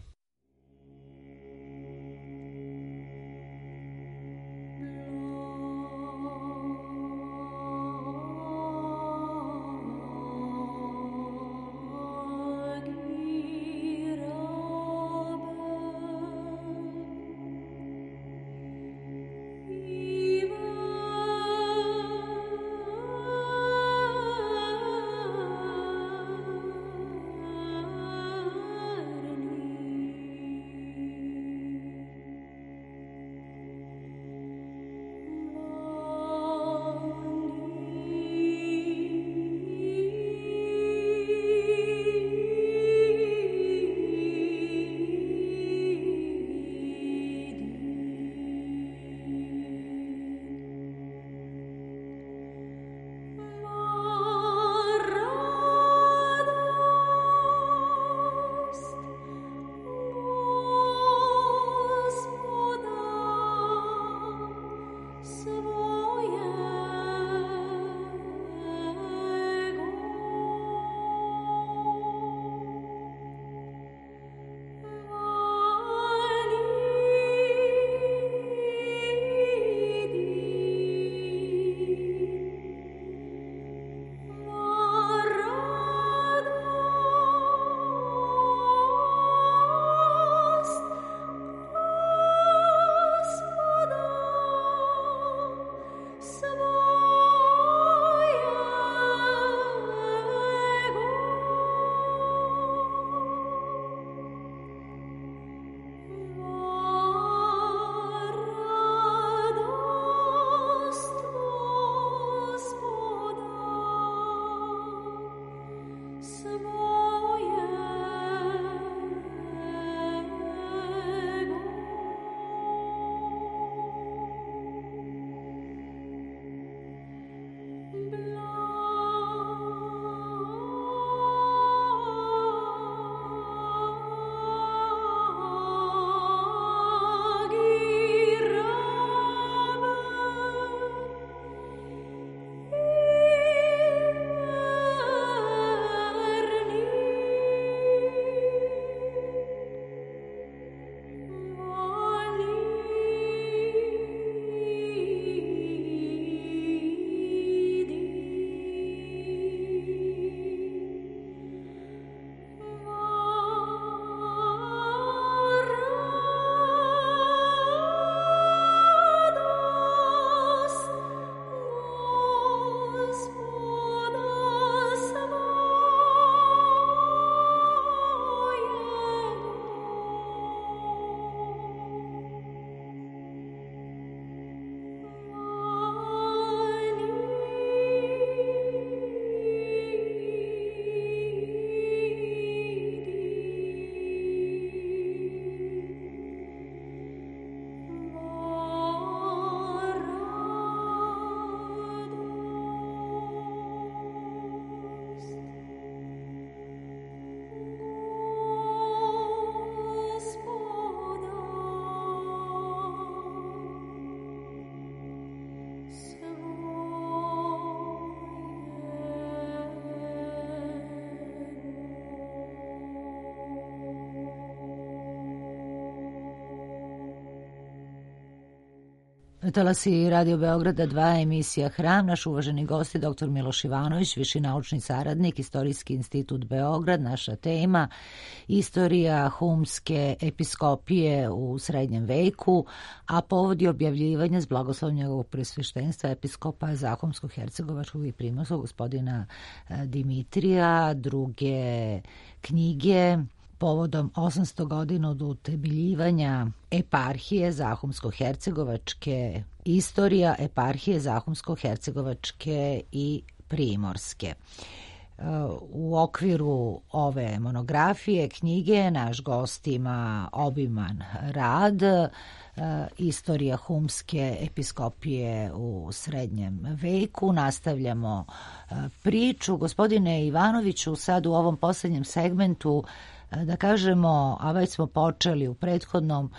Talasi Radio Beograda 2, emisija Hram. Naš uvaženi gost je dr. Miloš Ivanović, viši naučni saradnik, Istorijski institut Beograd. Naša tema istorija humske episkopije u srednjem veku, a povod je objavljivanja s blagoslovom njegovog presveštenstva episkopa Zahumsko-hercegovačkog i primorskog gospodina Dimitrija, druge knjige povodom 800 godina od utemeljivanja eparhije Zahumsko-hercegovačke, istorija eparhije Zahumsko-hercegovačke i primorske. U okviru ove monografije, knjige, naš gost ima obiman rad, istorija humske episkopije u srednjem veku. Nastavljamo priču. Gospodine Ivanoviću, sad u ovom poslednjem segmentu, da kažemo, a već smo počeli u prethodnom,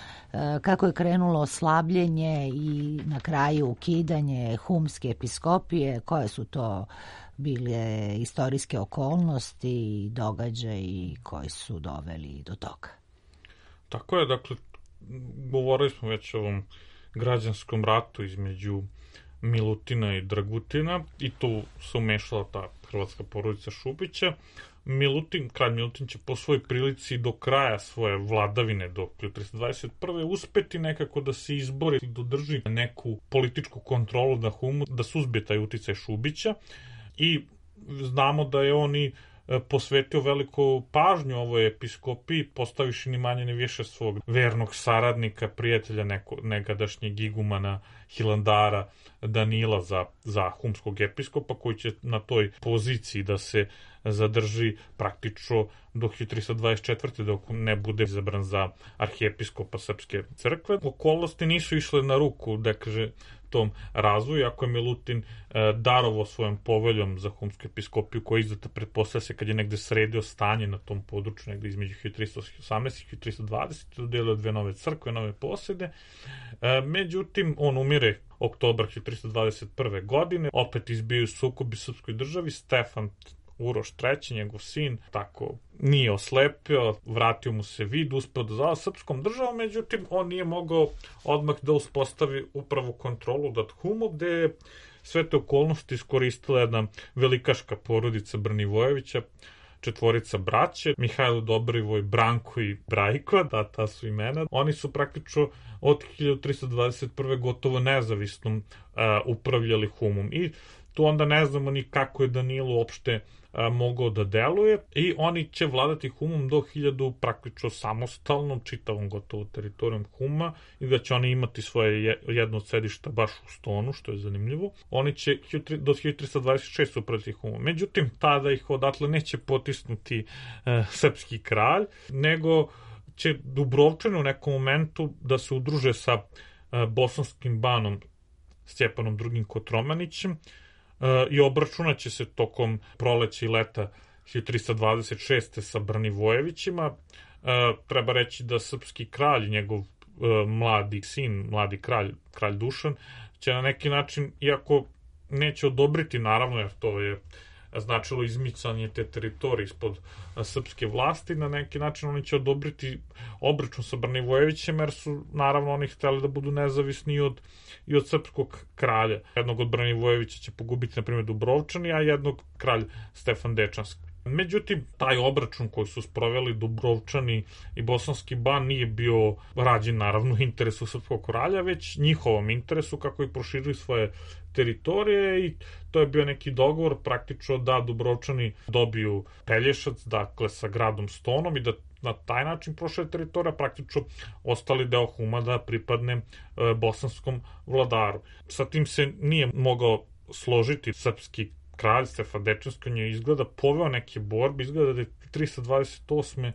kako je krenulo slabljenje i na kraju ukidanje humske episkopije, koje su to bile istorijske okolnosti i događaji koji su doveli do toga. Tako je, dakle, govorili smo već o ovom građanskom ratu između Milutina i Dragutina i tu se umešala ta hrvatska porodica Šubića. Kralj Milutin će po svojoj prilici do kraja svoje vladavine, do 1321. uspeti nekako da se izbori i dodrži neku političku kontrolu na Humu, da suzbije taj uticaj Šubića. I znamo da je on i posvetio veliku pažnju ovoj episkopiji, postaviši ni manje ni više svog vernog saradnika, prijatelja negadašnjeg igumana Hilandara Danila za humskog episkopa, koji će na toj poziciji da se zadrži praktično do 1324. dok ne bude izabran za arhijepiskopa Srpske crkve. Okolnosti nisu išle na ruku, da kaže, tom razvoju, ako je Milutin darovao svojom poveljom za humsku episkopiju, koja je izdata, pretpostavlja se, kad je negde sredio stanje na tom području, negde između 1318 i 1320, dodelio 2 nove crkve, nove posede. Međutim, on umire oktobra 1321. godine, opet izbiju sukobi srpskoj državi. Stefan Uroš III, njegov sin, tako nije oslepio, vratio mu se vid, uspeo da zava srpskom državom, međutim, on nije mogao odmah da uspostavi upravo kontrolu nad Humom, gde je sve te okolnosti iskoristila jedna velikaška porodica Brnivojevića, 4 braće, Mihajlo, Dobrivoj, Branko i Brajko, ta su imena. Oni su praktično od 1321. gotovo nezavisno upravljali Humom i tu onda ne znamo ni kako je Danilo uopšte mogao da deluje i oni će vladati Humom do 1000 praktično samostalno, čitavom gotovo teritorijom Huma, i da će oni imati svoje jedno od sedišta baš u Stonu, što je zanimljivo. Oni će do 1326 upravljati Humom. Međutim, tada ih odatle neće potisnuti srpski kralj, nego će Dubrovčani u nekom momentu da se udruže sa bosanskim banom Stjepanom II. Kotromanićem, i obračunat će se tokom proleća i leta 1326. sa Brnivojevićima. Treba reći da srpski kralj, njegov mladi sin, mladi kralj Dušan, će na neki način, iako neće odobriti, naravno, jer to je značilo izmicanje te teritorije ispod srpske vlasti, na neki način oni će odobriti obračun sa Brnivojevićem, jer su naravno oni hteli da budu nezavisni i od srpskog kralja. Jednog od Brnivojevića će pogubiti, na primjer, Dubrovčani, a jednog kralj Stefan Dečanski. Međutim, taj obračun koji su sproveli Dubrovčani i bosanski ban nije bio rađen, naravno, u interesu srpskog kralja, već njihovom interesu, kako i proširili svoje teritorije, i to je bio neki dogovor praktično da Dubrovčani dobiju Pelješac, dakle sa gradom Stonom, i da na taj način prošle teritorija, praktično ostali deo Huma da pripadne bosanskom vladaru. Sa tim se nije mogao složiti srpski kralj Stefan Dečanski, on je izgleda poveo neke borbe, izgleda da je 328.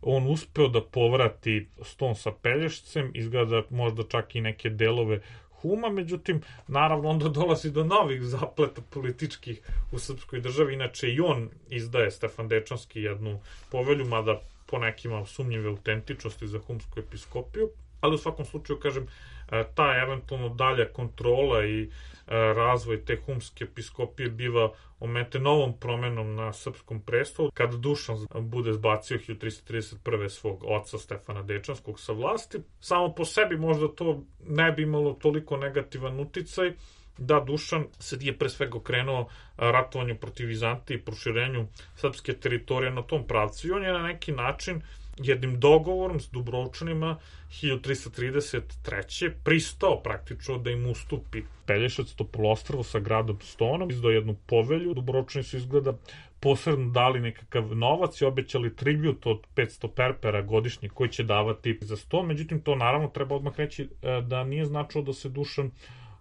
on uspeo da povrati Ston sa Pelješcem, izgleda možda čak i neke delove Huma, međutim, naravno, onda dolazi do novih zapleta političkih u srpskoj državi. Inače, i on izdaje, Stefan Dečanski, jednu povelju, mada po nekima sumnjive autentičnosti za humsku episkopiju, ali u svakom slučaju, kažem, ta eventualno dalja kontrola i razvoj te humske episkopije biva ometen novom promenom na srpskom prestolu, kada Dušan bude zbacio 1331. svog oca Stefana Dečanskog sa vlasti. Samo po sebi možda to ne bi imalo toliko negativan uticaj, da Dušan se je pre svega okrenuo ratovanju protiv Vizantije i proširenju srpske teritorije na tom pravcu, i on je na neki način jednim dogovorom s Dubrovčanima 1333. pristao praktično da im ustupi Pelješac, Topolostrvo sa gradom Stonom, izdao jednu povelju. Dubrovčani su izgleda posredno dali nekakav novac i obećali tribut od 500 perpera godišnje koji će davati za 100. Međutim, to naravno treba odmah reći da nije značilo da se Dušan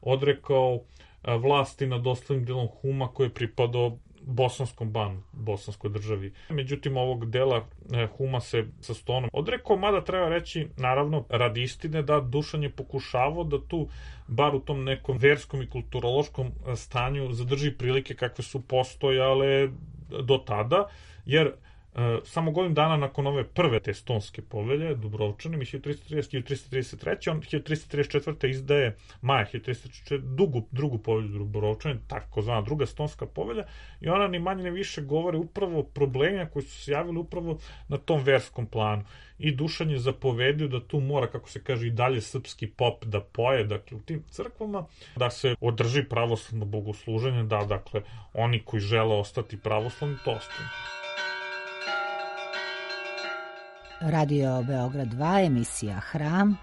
odrekao vlasti nad ostalim delom Huma koji je pripadao bosanskom banu, bosanskoj državi. Međutim, ovog dela Huma se sa Stonom odrekao, mada treba reći, naravno, radi istine, da Dušan je pokušavao da tu, bar u tom nekom verskom i kulturološkom stanju, zadrži prilike kakve su postojale do tada, jer samo godinu dana nakon ove prve te Stonske povelje, Dubrovčane, 1333. On 1334. izdaje maja 1334. drugu povelju Dubrovčane, takozvana druga Stonska povelja, i ona ni manje ni više govori upravo o problemima koji su se javili upravo na tom verskom planu. I Dušan je zapovedio da tu mora, kako se kaže, i dalje srpski pop da poje, dakle, u tim crkvama, da se održi pravoslavno bogosluženje, da, dakle, oni koji žele ostati pravoslavni, to ostane. Radio Beograd 2, emisija Hram,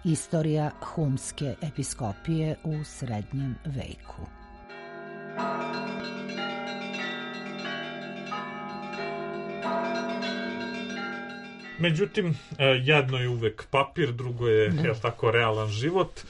istorija humske episkopije u srednjem veku. Međutim, jedno je uvek papir, drugo je, tako, realan život.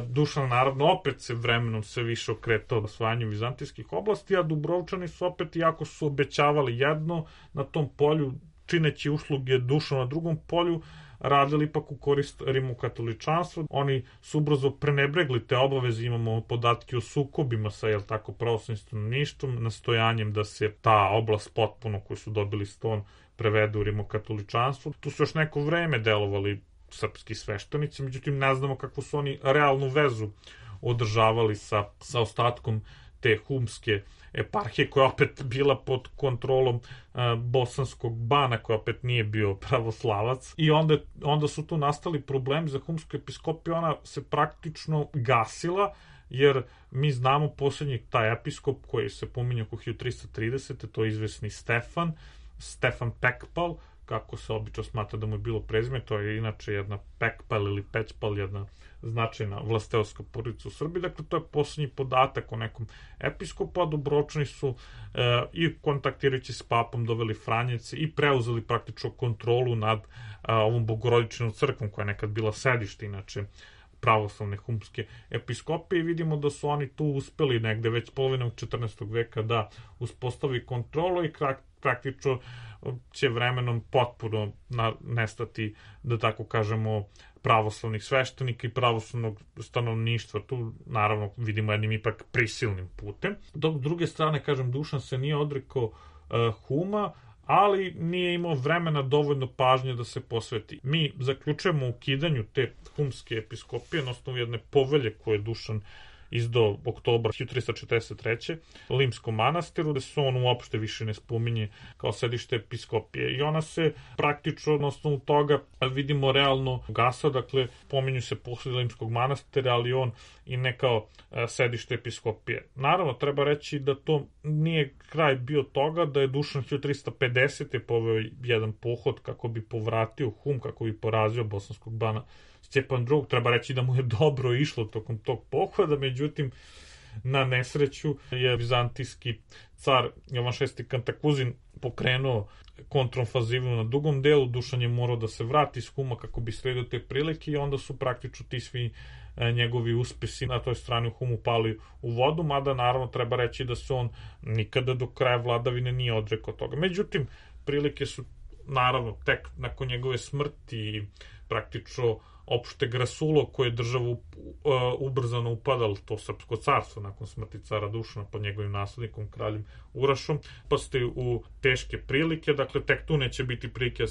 Dušan, naravno, opet se vremenom sve više okretao osvajanju vizantijskih oblasti, a Dubrovčani su opet, iako su obećavali jedno na tom polju, čineći usluge Dušanu na drugom polju, radili ipak u korist rimokatoličanstva. Oni su ubrzo prenebregli te obaveze, imamo podatke o sukobima sa, pravoslavnim stanovništvom, nastojanjem da se ta oblast potpuno koju su dobili Ston prevede u rimokatoličanstvo. Tu su još neko vreme delovali srpski sveštenici, međutim ne znamo kakvu su oni realnu vezu održavali sa ostatkom te humske eparhije, koja opet bila pod kontrolom bosanskog bana, koja opet nije bio pravoslavac. I onda su tu nastali problemi za humsku episkopiju, ona se praktično gasila, jer mi znamo posljednji taj episkop koji se pominje oko 1330. to je izvesni Stefan Pekpal, kako se obično smatra da mu je bilo prezime, to je inače jedna Pekpal ili Pećpal, jedna značajna vlasteoska porodica u Srbiji. Dakle, to je posljednji podatak o nekom episkopu, a Dubrovčani su i kontaktirajući s papom doveli Franjevce i preuzeli praktično kontrolu nad ovom bogorodičnom crkvom, koja je nekad bila sedište, inače, pravoslavne humske episkopije, i vidimo da su oni tu uspeli negde već polovinom 14. veka da uspostavi kontrolu i praktično će vremenom potpuno nestati, da tako kažemo, pravoslavnih sveštenika i pravoslavnog stanovništva. Tu naravno vidimo jednim ipak prisilnim putem. Dok s druge strane, kažem, Dušan se nije odrekao Huma, ali nije imao vremena dovoljno pažnje da se posveti. Mi zaključujemo ukidanju te humske episkopije na osnovu jedne povelje koje je Dušan izdao oktobra 1343. Limskom manastiru, da se on uopšte više ne spominje kao sedište episkopije. I ona se praktično na osnovu toga vidimo realno gasa, dakle pominju se posle Limskog manastira, ali on i ne kao sedište episkopije. Naravno, treba reći da to nije kraj bio toga, da je Dušan 1350. poveo jedan pohod kako bi povratio Hum, kako bi porazio bosanskog bana Stjepan II. Treba reći da mu je dobro išlo tokom tog pohoda, međutim, na nesreću je vizantijski car Jovan VI Kantakuzin pokrenuo kontrofazivno na dugom delu. Dušan je morao da se vrati iz Huma kako bi sredio te prilike i onda su praktično ti svi njegovi uspesi na toj strani u Humu pali u vodu, mada naravno treba reći da se on nikada do kraja vladavine nije odrekao toga. Međutim, prilike su naravno tek nakon njegove smrti praktično opšteg rasulo koje je državu ubrzano upadalo, to srpsko carstvo nakon smrti cara Dušana pod njegovim naslednikom kraljem Urašom, pa ste u teške prilike, dakle tek tu neće biti prilike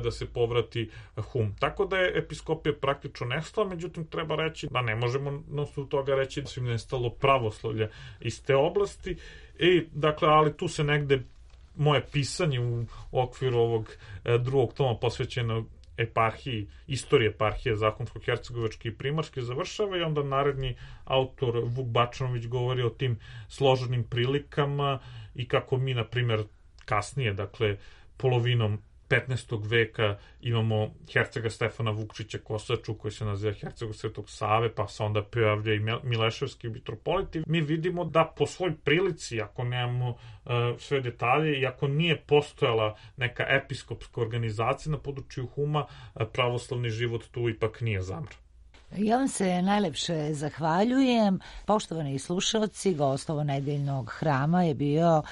da se povrati Hum. Tako da je episkopija praktično nestala, međutim treba reći da ne možemo na osnovu toga reći da su im nestalo pravoslavlje iz te oblasti, dakle, ali tu se moje pisanje u okviru ovog drugog toma posvećeno eparhiji, istorije eparhije Zahumsko-hercegovačke i Primorske završava, i onda naredni autor Vuk Bačanović govori o tim složenim prilikama i kako mi, na primjer, kasnije, dakle, polovinom 15. veka imamo hercega Stefana Vukčića Kosaču koji se naziva hercegom Svetog Save, pa se onda pojavlja i Mileševski mitropoliti. Mi vidimo da po svoj prilici, ako nemamo sve detalje i ako nije postojala neka episkopska organizacija na području Huma, pravoslavni život tu ipak nije zamro. Ja vam se najlepše zahvaljujem. Poštovani slušalci, gost ovonedeljnog hrama je bio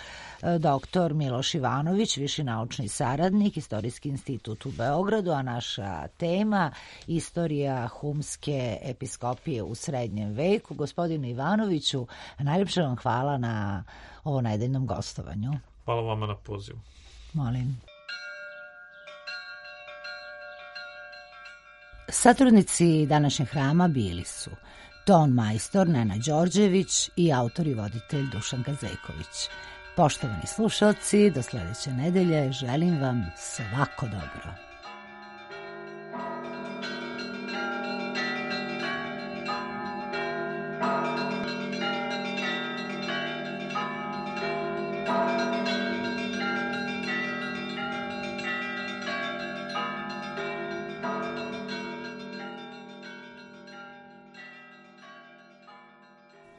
dr. Miloš Ivanović, viši naučni saradnik, Istorijski institut u Beogradu, a naša tema istorija humske episkopije u srednjem veku. Gospodinu Ivanoviću, najlepše vam hvala na ovonedeljnom gostovanju. Hvala vama na pozivu. Molim. Satrudnici današnjeg hrama bili su ton majstor Nena Đorđević i autor i voditelj Dušan Gazejković. Poštovani slušalci, do sledeće nedelje želim vam svako dobro.